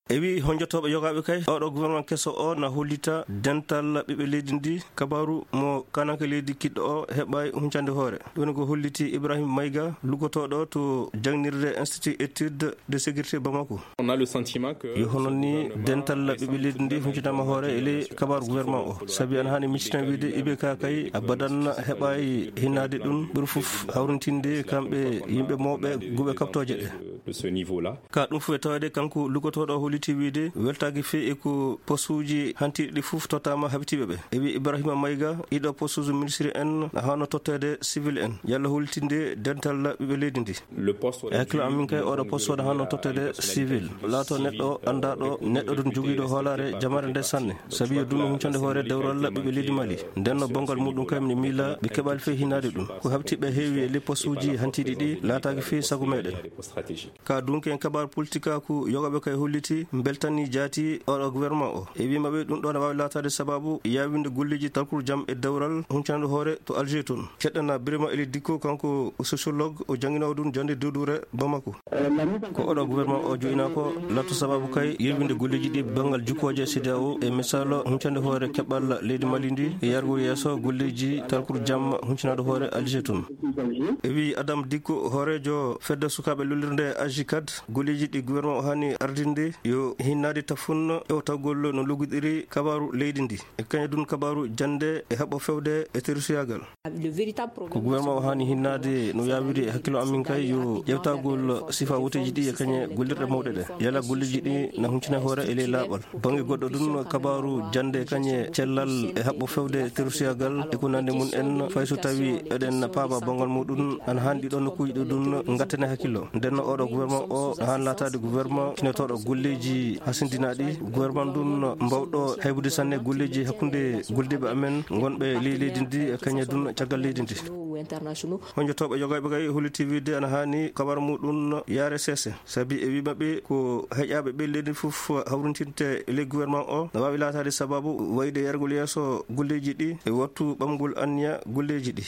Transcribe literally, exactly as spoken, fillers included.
E wi honjotooɓe yogaaɓe kay, oɗo gouvernement keso o na hollita dental ɓiɓɓe leydi ndi. Kabaru mo kananke leydi kiɗɗo o heɓaay huncande hoore. Ɗum woni ko holliti Ibrahim Mayga, luggotooɗo to jangnirde Institut Études de Sécurité Bamako. On a le sentiment que yo hono ni dental ɓiɓɓe leydi ndi huncitama hoore e ley kabaru gouvernement o. Sabi ana hani miccitan wiide I B K kay abadan heɓaay hinnaade ɗum ɓuri fof hawrintinde kamɓe yimɓe mawɓe guɓe kaɓtooje ɗe. De ce niveau-là. Ka ɗum fof e tawde kanko luggotooɗo o holliti wiide weltaaki fii e ko postuuji hantiiɗi ɗi fof tottaama habitiiɓe ɓe. E wi Ibrahima Mayga, ɗiɗo postuuji ministre en hano totteede civil en. Yalla hollitinde dental ɓiɓɓe leydi ndi. Le poste e hakkilo amin kay, oɗo poste oɗo hano totteede civil. Laato neɗɗo anndaaɗo, neɗɗo ɗum jogiiɗo hoolaare jamaare nde sanne. Sabi yo ɗum huncande hoore dewral ɓiɓɓe leydi Mali. Nden no bonngal muɗum kay mi miila ɓe keɓaali fii hinnaade ɗum. Ko habtiiɓe heewi e ley postuuji hantiiɗi ɗi laataaki fii sago meɗen. Ka dunke en kabaru politikaaku yogaaɓe kay holliti mbeltani jaati oɗo gouvernement o. E wi maɓɓe ɗum ɗo na waawi laataade sababu yaawinde golleeji talkuru jam e dewral huncande hoore to Alger toon. Ceɗɗana Birima Eli Dikko, kanko sociologue, o jannginoowo ɗum jannde dewduure Bamako. Ko oɗo gouvernement o joyinaa ko latto sababu kay yerwinde golleeji ɗi banngal jukkooje C D A O e misal huncande hoore keɓal leydi Mali ndi e yargo yeeso golleeji talkuru jam huncanaɗo hoore Alger toon. E wi Adam Dikko, hooreejo fedde sukaaɓe lollirde Agicad, golleeji ɗi gouvernement o hani ardinde yo hinnaade tafun e o tawgol no luggiɗiri kabaru leydi ndi. E kañum ɗum kabaru jannde e haɓɓo fewde e terusiyaagal. Ko gouvernement o hani hinnaade no yaawiri e hakkilo amin kay yo ƴewtagol sifa woteeji ɗi e kañe gollirɗe mawɗe ɗe. Yala golleeji ɗi na huncina hoore e ley laaɓal. Bannge goɗɗo ɗum kabaru jannde kañe cellal e haɓɓo fewde terusiyaagal e ko nandi mum en fay so tawi eɗen paaba banngal muɗum ana hani ɗiɗo nokkuuji ɗi ɗum ngattane hakkillo. Nden no oɗo gouvernement o na hani laataade gouvernement kinotooɗo golleeji hasindinaaɗi. Gouvernement ɗum mbawɗo haybude sanne golleeji hakkunde gollidiiɓe amen ngonɓe ley leydi ndi e kañe ɗum caggal leydi ndi. Honjotooɓe yogaaɓe kay holliti wiide ana hani kabaru muɗum yaare seese. Sabi e wi maɓɓe ko heƴaaɓe ɓe leydi fof hawrintinte e ley gouvernement o na waawi laataade sababu wayde yargol yeeso golleeji ɗi e wattu ɓamgol anniya golleeji ɗi.